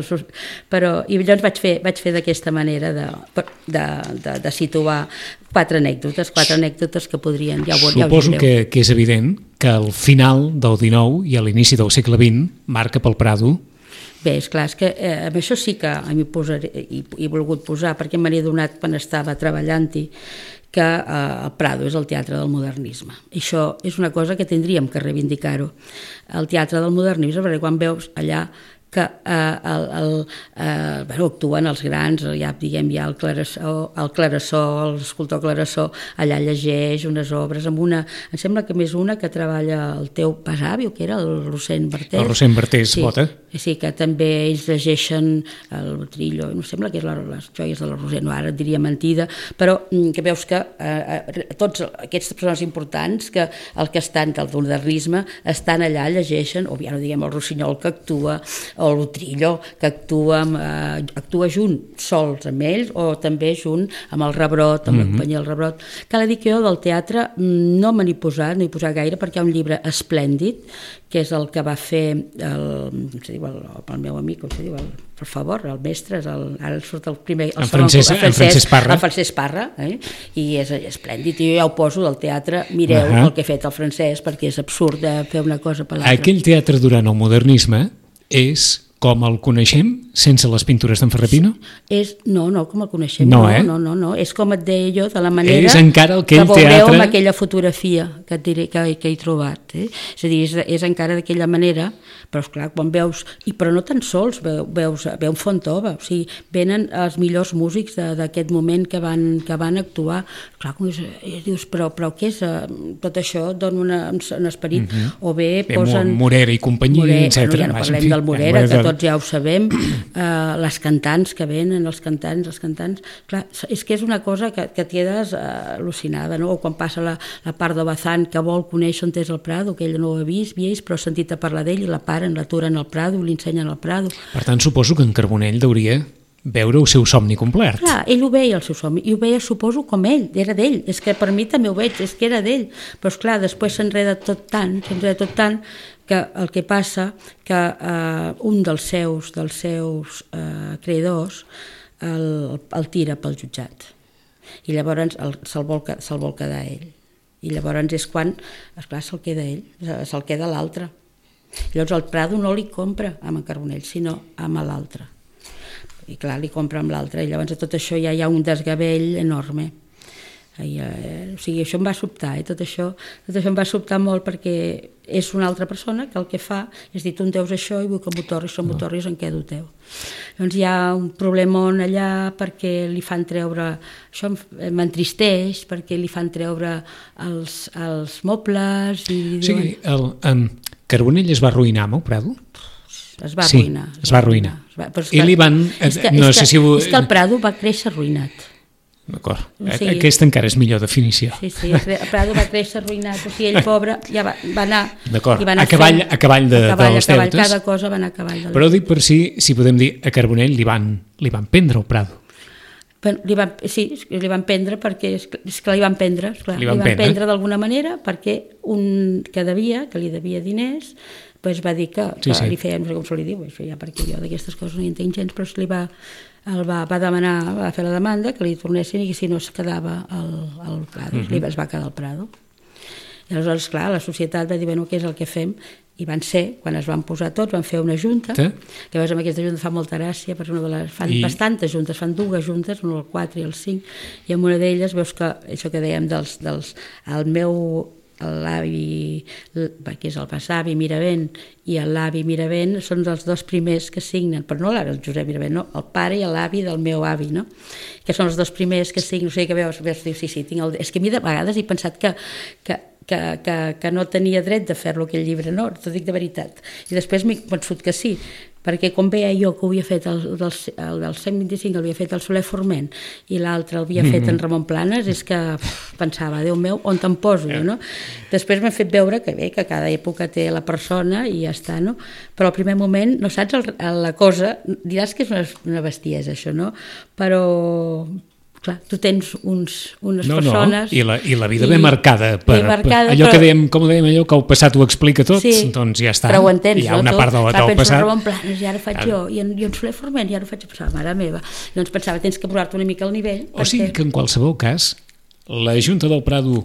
però i llavors vaig fer, vaig fer d'aquesta manera de, de, de, de situar quatre anècdotes, quatre anècdotes que podrien... Ja ho, Suposo ja que, que és evident que al final del dinou i a l'inici del segle vint marca pel Prado. Bé, esclar, és que eh, amb això sí que m'hi posaré, i he volgut posar, perquè me n'he adonat quan estava treballant-hi, que eh, el Prado és el teatre del modernisme. I això és una cosa que tindríem que reivindicar-ho. El teatre del modernisme, perquè quan veus allà que eh, el, el, eh, bueno, actuen els grans, ja diguem ja el Clarasó, el Clarasó, l'escultor Clarasó, allà llegeix unes obres amb una, em sembla que més una que treballa el teu besavi, o que era el Rossend Bertés. El Rossend Bertés, sí, Bota. Sí, que també ells llegeixen el Trillo, no sembla que és la, les joies de la Roser, no, ara et diria mentida, però que veus que eh, tots aquestes persones importants, que el que estan del modernisme, estan allà, llegeixen, o ja no diguem el Rossinyol que actua, o el Trillo que actua, eh, actua junt, sols amb ells, o també junt amb el Rebrot, amb mm-hmm. la companyia del Rebrot. Cal dir que jo del teatre no me n'he posat, no he posat gaire, perquè hi ha un llibre esplèndid, que és el que va fer el, com se diu, el, el meu amic, com se diu, el, per favor, el mestre, és el, ara surt el primer... El en, Francesc, el, Francesc, en Francesc Parra. El Francesc Parra, eh? I és esplèndid, i jo ja ho poso del teatre, mireu uh-huh. el que ha fet el Francesc, perquè és absurd de fer una cosa per l'altra. Aquell teatre durant el modernisme és com el coneixem sense les pintures d'en Ferrer Pino? És, no, no, com el coneixem, no, no, eh? no, no, no, és com et deia jo, de la manera és encara el que, que el veureu teatre... amb aquella fotografia que, et diré, que, que he trobat. Eh? És a dir, és, és encara d'aquella manera, però esclar, quan veus, i però no tan sols, veus, veus, veus Fontova, o sigui, venen els millors músics d'aquest moment que van, que van actuar, clar, com és, i dius, però, però què és, tot això dona una, un esperit, mm-hmm. o bé posen... Morera i companyia, Morera, etcètera. No, ja no parlem del Morera, que tots ja ho sabem, eh, les cantants que venen, els cantants, els cantants, clar, és que és una cosa que, que et quedes eh, al·lucinada, no? O quan passa la, la part de Bazán que vol conèixer on és el Prado, que ell no ho ha vist, vist, però ha sentit a parlar d'ell i la paren, l'aturen al Prado, li ensenyen al Prado. Per tant, suposo que en Carbonell hauria veure el seu somni complert. Clar, ell ho veia, el seu somni, i ho veia, suposo, com ell, era d'ell, és que per mi també ho veig, és que era d'ell, però esclar, després s'enreda tot tant, s'enreda tot tant, que el que passa que eh, un dels seus, dels seus eh, creadors el, el tira pel jutjat, i llavors se'l vol, se vol quedar ell, i llavors és quan, esclar, se'l queda ell, se'l queda l'altre. Llavors el Prado no li compra amb en Carbonell, sinó amb l'altre. I clar, li compra amb l'altre, i llavors a tot això ja hi ha un desgavell enorme. I, eh, o sigui, això em va sobtar, eh? tot, això, tot això em va sobtar molt, perquè és una altra persona que el que fa és dir, tu em deus això i vull que m'ho torris, si m'ho torris em quedo teu. Llavors hi ha un problemon allà perquè li fan treure, això m'entristeix, perquè li fan treure els, els mobles i... O sigui, el, um, Carbonell es va arruïnar amb el Prado? Es va sí, arruïnar. es va arruïnar. Es va, però és I que, li van... És que, no és sé que, si ho... és que el Prado va créixer arruïnat. D'acord, O sigui, aquesta encara és millor definició. Sí, sí, el Prado va créixer arruïnat, o sigui, ell pobre ja va, va anar... D'acord, i va anar a cavall, fent, a cavall de, a cavall, dels a cavall, deutes. cada cosa va anar a cavall. De Però dic per si, si podem dir, a Carbonell li van, li van prendre el Prado. Però li van, sí, li van prendre perquè, és que, és que li van prendre, esclar, li van, li van prendre, prendre d'alguna manera perquè un que devia, que li devia diners, pues va dir que, que sí, sí. li feia, no sé com se li diu, això ja perquè jo d'aquestes coses no hi entenc gens, però li va, el va, va demanar, va fer la demanda que li tornessin i que si no es quedava el, el Prado, uh-huh. li es va quedar el Prado. I aleshores, clar, la societat va dir, bueno, què és el que fem? I van ser, quan es van posar tots, van fer una junta, sí. que a veure, amb aquesta junta fa molta gràcia, perquè una de les, fan I... bastantes juntes, fan dues juntes, una al quatre i el cinc, i en una d'elles veus que, això que dèiem dels, dels el meu l'avi, que és el besavi Miravent, i l'avi Miravent són els dos primers que signen, però no el Josep Miravent, no, el pare i l'avi del meu avi, no? Que són els dos primers que signen, o sigui que veus, veus dius, sí, sí, tinc el... És que a mi de vegades he pensat que, que, que, que, que no tenia dret de fer-lo aquell llibre, no, t'ho dic de veritat. I després m'he convençut que sí, perquè com veia jo que ho havia fet el, del, el del cent vint-i-cinc l'havia fet el Soler Forment i l'altre l'havia fet en Ramon Planes, és que pff, pensava, Déu meu, on te'n poso jo, no? Després m'he fet veure que bé, que cada època té la persona i ja està, no? Però al primer moment no saps el, la cosa, diràs que és una, una bestiesa això, no? Però clar, tu tens uns, unes no, persones... No, i la, i la vida i, ben marcada, per, marcada per allò però, que dèiem, com dèiem, allò que el passat ho explica tot, sí, doncs ja està. Però ho entens, hi ha no? una Tu, part del, clar, del passat. Ramon Planes, i ara faig jo, i en, i en Soler Forment, i ara faig pensar, mare meva. Doncs pensava, tens que posar-te una mica al nivell. O sigui que en qualsevol cas, la Junta del Prado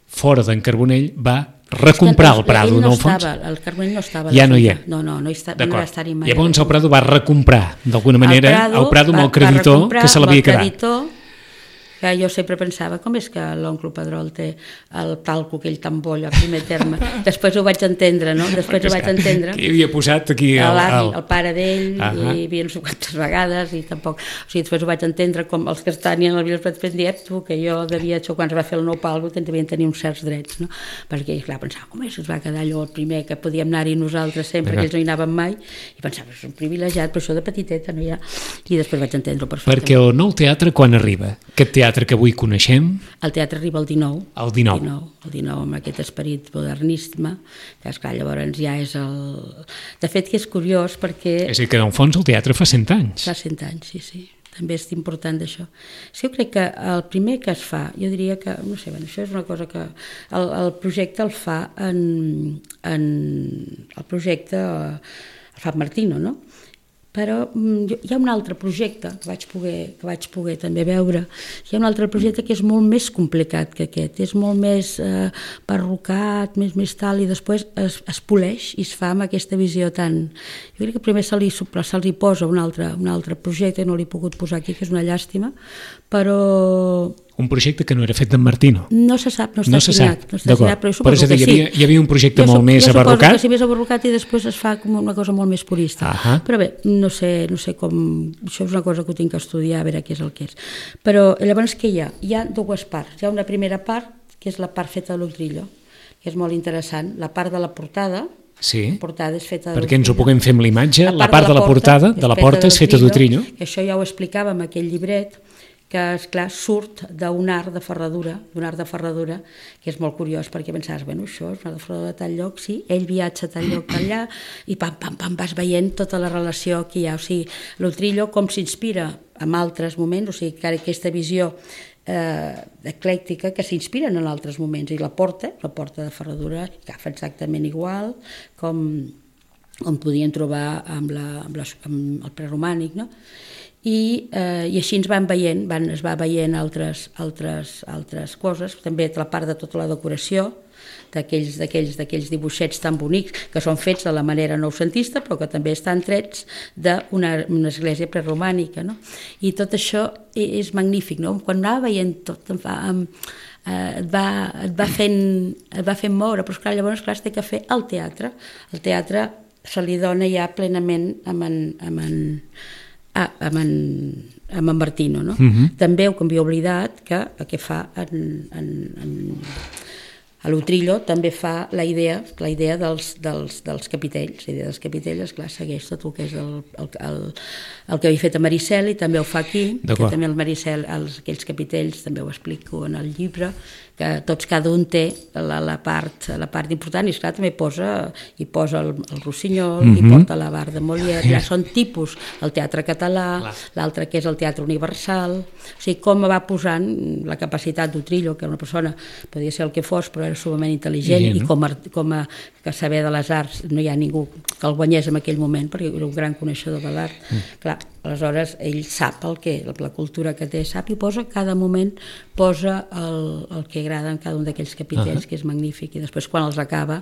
fora d'en Carbonell va recomprar el Prado, no, no, al fons? Estava, el Carbonell no estava. Ja no hi ha. No, no, no, hi està, no va estar-hi mai. Llavors el Prado va recomprar, d'alguna manera, el Prado, el Prado amb el creditor que se l'havia quedat. Ja, jo sempre pensava, com és que l'oncle Pedrol té el talco aquell tan bo a primer terme? Després ho vaig entendre, no? Després ho vaig entendre. Qui havia posat aquí el... L'avi, el pare d'ell, uh -huh. i hi havia no sé quantes vegades, i tampoc... O sigui, després ho vaig entendre com els que estan en el vídeo vaig dir, tu, que jo devia, això, quan es va fer el nou palco, devien tenir uns certs drets, no? Perquè, clar, pensava, com és que es va quedar allò el primer, que podíem anar-hi nosaltres sempre, uh -huh. que ells no hi anàvem mai, i pensava, és un privilegiat, però això de petiteta, no hi ha... I després vaig entendre-ho perfectament. Perquè el nou teatre quan arriba? Aquest teatre que avui coneixem? El teatre arriba el dinou. El dinou. El dinou, el dinou amb aquest esperit modernisme, que esclar, llavors ja és el... De fet, que és curiós perquè... És a dir, que en el fons el teatre fa cent anys. Fa cent anys, sí, sí. També és important d'això. És que jo crec que el primer que es fa, jo diria que, no sé, bueno, això és una cosa que... El, el projecte el fa en... en el projecte el fa Martino, no? Però hi ha un altre projecte que vaig poder, que vaig poder també veure, hi ha un altre projecte que és molt més complicat que aquest, és molt més eh, perrucat, més, més tal, i després es, es poleix i es fa amb aquesta visió tan... Jo crec que primer se li, se li posa un altre, un altre projecte, no l'he pogut posar aquí, que és una llàstima, però... Un projecte que no era fet d'en Martino. No se sap, no està no se signat. Sap. No està signat, però jo suposo però que hi havia, sí. Hi havia un projecte jo molt més jo abarrocat? Que sí, més abarrocat i després es fa com una cosa molt més purista. Uh-huh. Però bé, no sé, no sé com... Això és una cosa que ho tinc que estudiar, a veure què és el que és. Però llavors què hi ha? Hi ha dues parts. Hi ha una primera part, que és la part feta de l'Utrillo, que és molt interessant. La part de la portada, sí. la portada és feta de perquè ens ho puguem fer amb l'imatge, la, la part de la, portada, de la porta és feta d'Utrillo. Això ja ho explicava en aquell llibret, que, esclar, surt d'un art de ferradura, d'un art de ferradura, que és molt curiós, perquè pensaves, bueno, això és un art de ferradura de tal lloc, sí, ell viatja a tal lloc, tal allà, i pam, pam, pam, vas veient tota la relació que hi ha. O sigui, l'Utrillo com s'inspira en altres moments, o sigui, que aquesta visió eh, eclèctica que s'inspiren en altres moments, i la porta, la porta de ferradura, que fa exactament igual, com, com podien trobar amb, la, amb, la, amb el preromànic, no? I, eh, i així ens van veient, van, es va veient altres, altres, altres coses, també la part de tota la decoració, d'aquells d'aquells dibuixets tan bonics que són fets de la manera noucentista però que també estan trets d'una una església preromànica, no? I tot això és magnífic, no? Quan anava veient tot em fa, em, eh, et, va, et, va fent, et va fent moure, però esclar, llavors clar, es té que fer el teatre. El teatre se li dona ja plenament amb en, amb en Ah, amb en, amb en Martino, no? Uh-huh. També ho havia oblidat que el que fa en, en, en, a l'Utrillo també fa la idea, la idea dels, dels, dels capitells. La idea dels capitells, clar, segueix tot el que és el, el, el, el que havia fet a Maricel i també ho fa aquí, que també el Maricel, els, aquells capitells, també ho explico en el llibre, que tots cada un té la, la, part, la part important, i esclar també posa, hi posa el, el Rossinyol, mm-hmm. hi porta la Bar de Molière, ja són tipus, el teatre català, l'altre que és el teatre universal, o sigui, com va posant la capacitat d'Utrillo, que una persona podia ser el que fos, però era sumament intel·ligent, yeah, no? I com a, com a que saber de les arts no hi ha ningú que el guanyés en aquell moment, perquè era un gran coneixedor de l'art. Mm. Clar, aleshores ell sap el que, la cultura que té, sap i posa cada moment, posa el, el que agrada en cada un d'aquells capitells, uh-huh. que és magnífic, i després quan els acaba,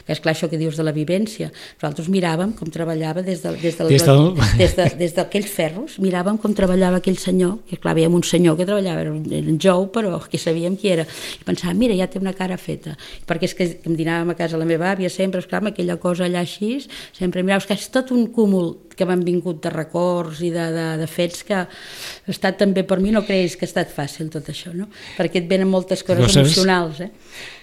que és clar això que dius de la vivència, nosaltres miràvem com treballava des de, des de, des del... des de, des d'aquells ferros, miràvem com treballava aquell senyor, que clar, veiem un senyor que treballava, era en Jou, però que sabíem qui era, i pensàvem, mira, ja té una cara feta, perquè és que em dinàvem a casa la meva àvia sempre, esclar, amb aquella cosa allà així, sempre miràvem, que és tot un cúmul que m'han vingut de records i de, de, de fets que ha estat també per mi, no creguis que ha estat fàcil tot això, no? Perquè et venen moltes coses Coses. emocionals, eh?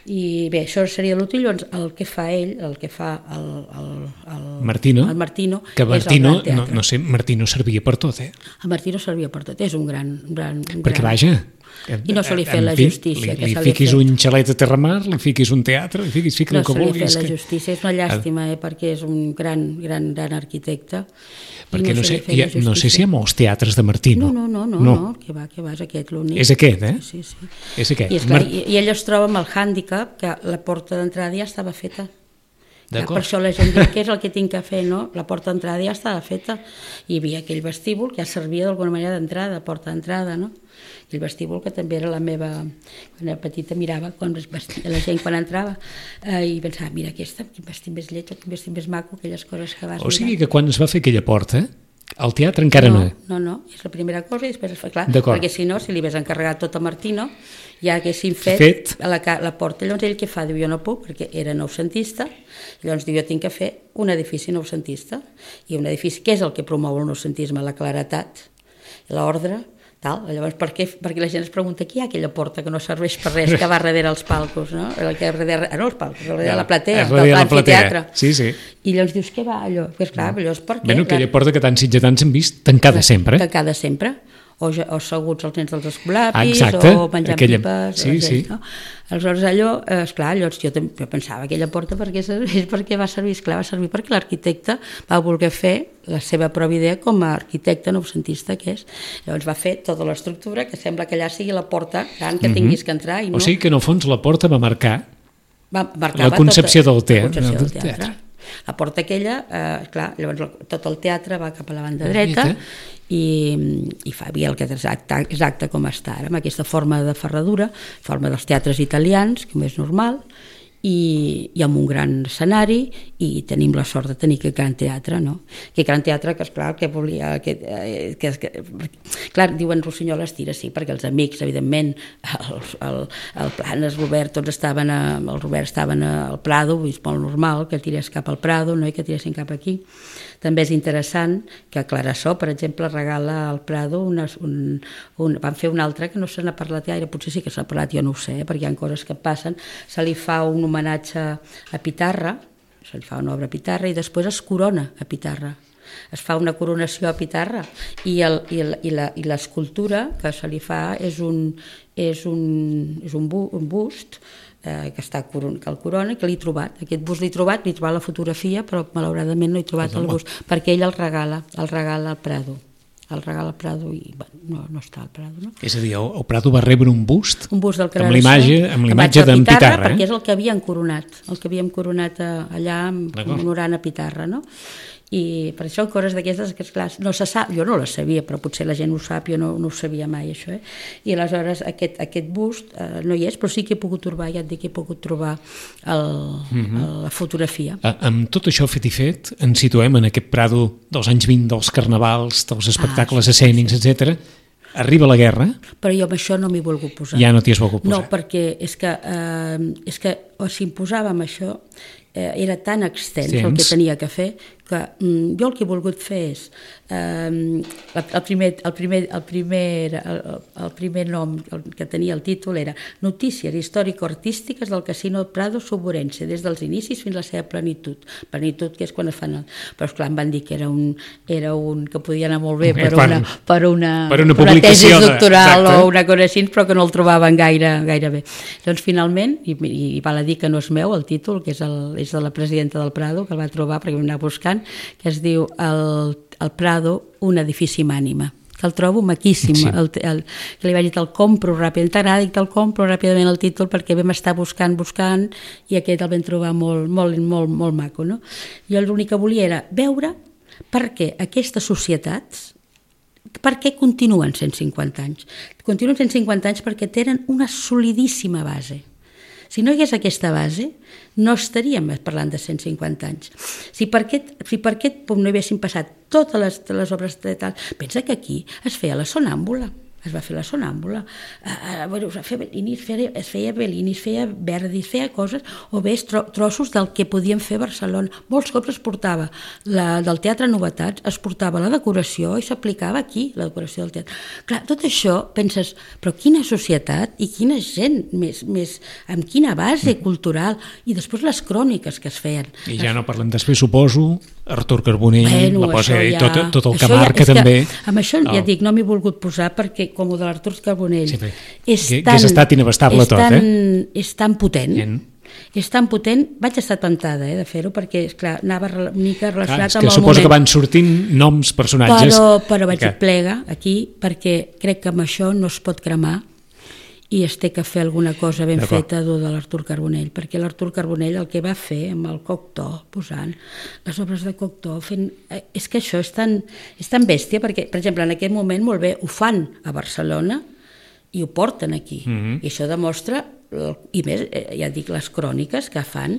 I bé, això seria l'Utrillo, el que fa ell, el que fa el, el, el, Martino, el Martino, que Martino, és el no, no sé, Martino servia per tot, eh? El Martino servia per tot, és un gran... Un gran un Perquè gran... vaja... I no se li fa la justícia. Li, li, li fiquis un xalet a Terramar, li fiquis un teatre, li fiquis, fiquis no el que vulguis. No se li fa la justícia, és una llàstima, eh, perquè és un gran, gran, gran arquitecte. Perquè no, no, sé, ha, no sé si hi ha molts teatres de Martino. No, no, no, no, no, que va, que va, és aquest l'únic. És aquest, eh? Sí, sí. És aquest. I, esclar, Mar... i, i ell es troba amb el hàndicap que la porta d'entrada ja estava feta. Ja, per això la gent diu, què és el que tinc que fer, no? La porta d'entrada ja estava feta. Hi havia aquell vestíbul que ja servia d'alguna manera d'entrada, porta d'entrada, no? I el vestíbul que també era la meva... Quan era petita mirava quan la gent quan entrava eh, i pensava, mira aquesta, quin vestit més lleig, quin vestit més maco, aquelles coses que vas O sigui mirant. que quan es va fer aquella porta, El teatre encara no. No, no, no, és la primera cosa i després es fa clar, D'acord. perquè si no, si li hagués encarregat tot a Martino, ja haguessin fet, Fet. A la, ca- la porta. Llavors ell què fa? Diu, jo no puc, perquè era noucentista, llavors diu, jo tinc que fer un edifici noucentista, i un edifici, què és el que promou el noucentisme? La claretat, l'ordre, tal. Llavors, per què? Perquè la gent es pregunta qui hi ha aquella porta que no serveix per res, que va darrere els palcos, no? El que darrere, no els palcos, darrere la platea, darrere del la platea. l'amfiteatre. Sí, sí. I llavors dius, què va allò? Pues clar, llavors, per què? Bueno, aquella porta que tants sitgetans hem vist tancada sempre. Tancada sempre. O, ja, o seguts els nens dels escolapis, ah, exacte. o menjant aquella... pipes. Sí, sí. No? Aleshores allò, eh, esclar, llavors jo, jo pensava aquella porta per què serveix, per què va servir? Esclar, va servir perquè l'arquitecte va voler fer la seva pròpia idea com a arquitecte noucentista que és. Llavors va fer tota l'estructura que sembla que allà sigui la porta gran que tinguis que entrar. I no... O sigui que en el fons la porta va marcar va, la concepció tota, del, te la concepció del del teatre. teatre. La porta aquella, eh, clar, llavors tot el teatre va cap a la banda dreta i, i fa havia el que és exacte, exacte com està ara, amb aquesta forma de ferradura, forma dels teatres italians, que és normal, i, i amb un gran escenari, i tenim la sort de tenir aquest gran teatre, no? Aquest gran teatre que, esclar, que volia... Que, eh, que, que, clar, diuen Rossinyol estira, sí, perquè els amics, evidentment, el, el, el Planes, Robert, tots estaven a, el Robert estaven al Prado, és molt normal que tirés cap al Prado, no? I que tiressin cap aquí. També és interessant que Clarasó, per exemple, regala al Prado una, un, un, van fer un altre que no se n'ha parlat gaire, potser sí que s'ha parlat, jo no ho sé, perquè hi ha coses que passen, se li fa un homenatge a Pitarra, se li fa una obra a Pitarra i després es corona a Pitarra. Es fa una coronació a Pitarra i, el, i, el, i, la, i l'escultura que se li fa és un, és un, és un, bu, un bust eh, que està que el corona, que l'he trobat. Aquest bust l'he trobat, l'he trobat la fotografia, però malauradament no he trobat el bust, perquè ell el regala, el regala al Prado. El regala al Prado i bueno, no, no està al Prado. No? És a dir, el, el Prado va rebre un bust, un bust del amb l'imatge amb l'imatge d'en Pitarra, Pitarra. Eh? Perquè és el que havien coronat, el que havíem coronat allà honorant a Pitarra, no? I per això coses d'aquestes que esclar, no se sap, jo no les sabia, però potser la gent ho sap, jo no, no ho sabia mai això, eh? I aleshores aquest, aquest bust eh, no hi és, però sí que he pogut trobar, ja et dic que he pogut trobar el, mm-hmm. el, la fotografia. A, amb tot això fet i fet, ens situem en aquest Prado dels anys vint, dels carnavals, dels espectacles ah, sí, escènics, sí. etcètera. Arriba la guerra... Però jo amb això no m'hi he volgut posar. Ja no t'hi has volgut posar. No, perquè és que, eh, és que o si em posava amb això, eh, era tan extens Tens. el que tenia que fer, que mm, jo el que he volgut fer és eh, el, primer, el, primer, el, primer, el, el primer nom el que tenia el títol era Notícies històrico-artístiques del Casino Prado Suburense des dels inicis fins a la seva plenitud. Plenitud que és quan es fan... El... Però esclar, em van dir que era un, era un que podia anar molt bé per una, per una, per una, per una tesi doctoral de... o una cosa així, però que no el trobaven gaire, gaire bé. Doncs finalment, i, i val a dir que no és meu el títol, que és, el, és de la presidenta del Prado, que el va trobar perquè vam anar buscant, que es diu el, el Prado, un edifici amb ànima, que el trobo maquíssim, sí. el, el, que li vaig dir te'l compro ràpidament, t'agrada i te'l compro ràpidament el títol perquè vam estar buscant, buscant i aquest el vam trobar molt, molt, molt, molt maco, no? Jo l'únic que volia era veure per què aquestes societats, per què continuen cent cinquanta anys? Continuen cent cinquanta anys perquè tenen una solidíssima base. Si no hi hagués aquesta base, no estaríem parlant de cent cinquanta anys. Si per aquest, si per aquest punt no haguessin passat totes les, les obres de tal... Pensa que aquí es feia la sonàmbula, es va fer la sonàmbula, uh, bueno, es, va fer Bellini, es, feia, es feia Bellini, es feia Verdi, es feia coses, o bé tro, trossos del que podien fer a Barcelona. Molts cops es portava la, del Teatre Novetats, es portava la decoració i s'aplicava aquí, la decoració del teatre. Clar, tot això, penses, però quina societat i quina gent, més, més, amb quina base cultural, i després les cròniques que es feien. I ja no parlem després, suposo, Artur Carbonell, bueno, la posa, ja, tot, tot el que ja, marca també. Amb això ja dic, no m'hi he volgut posar perquè com el de l'Artur Carbonell sí, és que, tan, que és estat inabastable és tot, tan, eh? És tan potent, en. és tan potent, vaig estar tentada eh, de fer-ho perquè, esclar, anava una mica relacionat clar, amb el moment. Suposo que van sortint noms, personatges... Però, però vaig que... dir plega aquí perquè crec que amb això no es pot cremar i es té que fer alguna cosa ben feta de l'Artur Carbonell, perquè l'Artur Carbonell el que va fer amb el Cocteau, posant les obres de Cocteau, fent... és que això és tan, és tan bèstia, perquè, per exemple, en aquest moment molt bé ho fan a Barcelona i ho porten aquí, mm-hmm. i això demostra i més, ja dic, les cròniques que fan,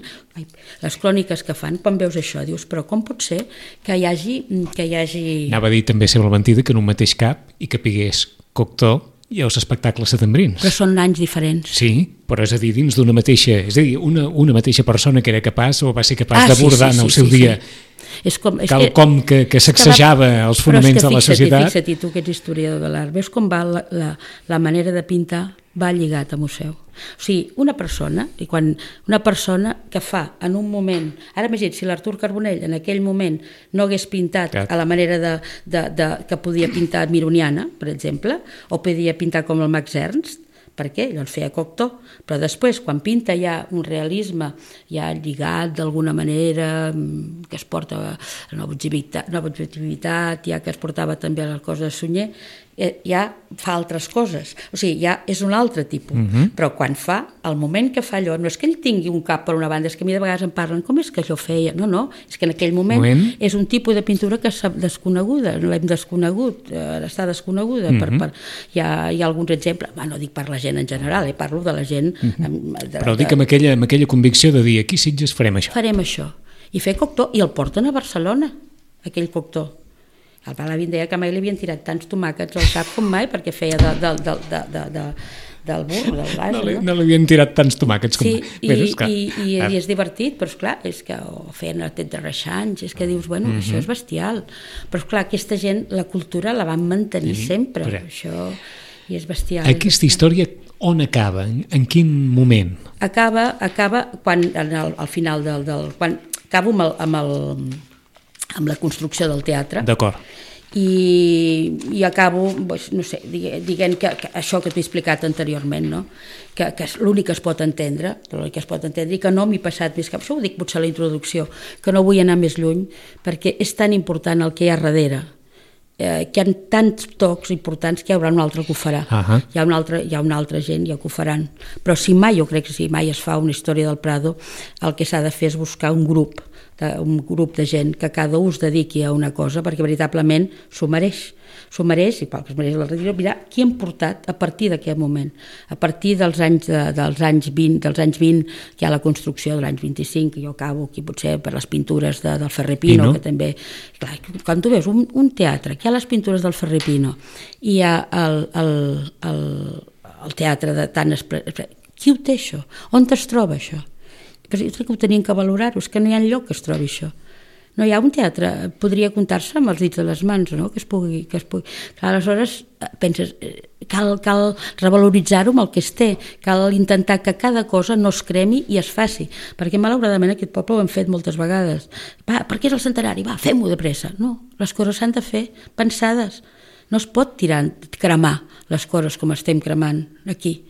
les cròniques que fan, quan veus això, dius, però com pot ser que hi hagi... Que hi hagi... Anava a dir també, sembla mentida, que en un mateix cap hi capigués Cocteau i els espectacles setembrins. Però són anys diferents. Sí, però és a dir, dins d'una mateixa... És a dir, una, una mateixa persona que era capaç o va ser capaç ah, d'abordar sí, sí, sí, en el seu sí, dia... Sí. És com, és cal com que, que sacsejava la, els fonaments de la societat. Fixa't, tu que ets historiador de l'art, veus com va la, la, la manera de pintar va lligat a museu. O sigui, una persona, i quan una persona que fa en un moment, ara imagina't, si l'Artur Carbonell en aquell moment no hagués pintat Cat. a la manera de, de, de, que podia pintar Mironiana, per exemple, o podia pintar com el Max Ernst, per què? Llavors feia Cocteau, però després quan pinta hi ha un realisme ja lligat d'alguna manera, que es porta a la objectivitat, ja que es portava també a la cosa de Sunyer, ja fa altres coses, o sigui, ja és un altre tipus, uh-huh. però quan fa, el moment que fa allò, no és que ell tingui un cap per una banda, és que a mi de vegades em parlen, com és que allò feia? No, no, és que en aquell moment, moment... és un tipus de pintura que és desconeguda, l'hem desconegut, està desconeguda, uh-huh. per, per, hi, ha, hi ha alguns exemples, bah, no dic per la gent en general, eh, parlo de la gent... Uh-huh. de, però dic amb aquella, amb aquella convicció de dir, aquí a Sitges farem això. Farem això, i fer Cocteau, i el porten a Barcelona, aquell Cocteau. El Palavin deia que mai li havien tirat tants tomàquets al cap com mai, perquè feia de, de, de, de, de, de, del burro, del base, no? Li, no li havien tirat tants tomàquets com sí, mai. I, Bé, esclar, i, i, i és divertit, però esclar, és que o feien el tet de reixanys, és que dius, bueno, mm-hmm. això és bestial. Però esclar, aquesta gent, la cultura la van mantenir mm-hmm. sempre, però... això i és bestial. Aquesta història on acaba? En, en quin moment? Acaba, acaba quan, al, al final del... del quan acabo amb el... Amb el amb la construcció del teatre. D'acord. I, i acabo, doncs, no sé, diguem que, que això que t'he explicat anteriorment, no? que, que és l'únic que es pot entendre, l'únic que es pot entendre i que no m'hi he passat més cap. Això ho dic potser a la introducció, que no vull anar més lluny perquè és tan important el que hi ha darrere, eh, que hi ha tants tocs importants que hi haurà un altre que ho farà. Uh-huh. Hi ha una altra, hi ha una altra gent ja que ho faran. Però si mai, jo crec que si mai es fa una història del Prado, el que s'ha de fer és buscar un grup un grup de gent que cada un es dediqui a una cosa, perquè veritablement s'ho mereix, s'ho mereix, i pel que es mereix la retiro, mirar qui hem portat a partir d'aquest moment, a partir dels anys, de, dels anys vint, dels anys vint, que hi ha la construcció de l'any vint-i-cinc, que jo acabo aquí potser per les pintures de, del Ferrer Pino, que també, clar, quan tu veus un, un teatre, que hi ha les pintures del Ferrer Pino, i hi ha el, el, el, el teatre de tant... Qui ho té això? On es troba això? Però jo crec que ho tenien que valorar-ho, és que no hi ha lloc que es trobi això. No hi ha un teatre, podria comptar-se amb els dits de les mans, no? que es pugui... Que es pugui. Clar, aleshores penses, cal, cal revaloritzar-ho amb el que es té, cal intentar que cada cosa no es cremi i es faci, perquè malauradament aquest poble ho hem fet moltes vegades. Va, perquè és el centenari? Va, fem-ho de pressa. No, les coses s'han de fer pensades. No es pot tirar, cremar les coses com estem cremant aquí.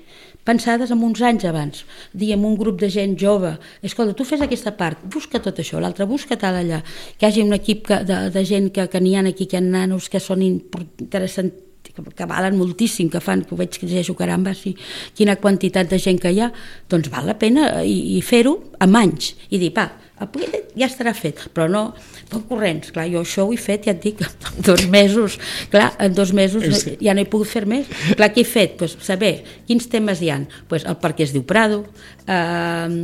Pensades en uns anys abans, diem un grup de gent jove, escolta, tu fes aquesta part, busca tot això, l'altre busca tal allà, que hi hagi un equip que, de, de gent que, que n'hi ha aquí, que hi ha nanos que són interessants, que valen moltíssim, que fan, que ho veig que llegeixo, caramba, sí, quina quantitat de gent que hi ha, doncs val la pena i, i fer-ho amb anys, i dir, va, ja estarà fet, però no tot corrents, clar, jo això ho he fet, ja et dic, en dos mesos, clar, en dos mesos sí. ja no he pogut fer més, clar, què he fet? Pues, saber quins temes hi ha, pues, el per què es diu Prado, eh,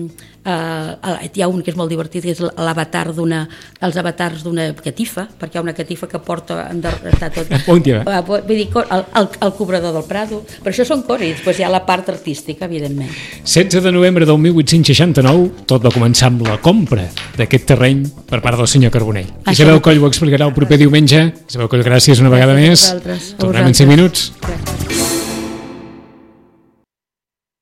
eh, hi ha un que és molt divertit, que és l'avatar d'una, els avatars d'una catifa, perquè hi ha una catifa que porta, està tot, vull dir, el, el, el cobrador del Prado, però això són coses, i després hi ha la part artística, evidentment. setze de novembre del mil vuit-cents seixanta-nou, tot va començar amb la compra d'aquest terreny per part del senyor Carbonell. Isabel Coll ho explicarà el proper diumenge. Isabel Coll, gràcies una vegada més. Tornem en cinc minuts. Gràcies.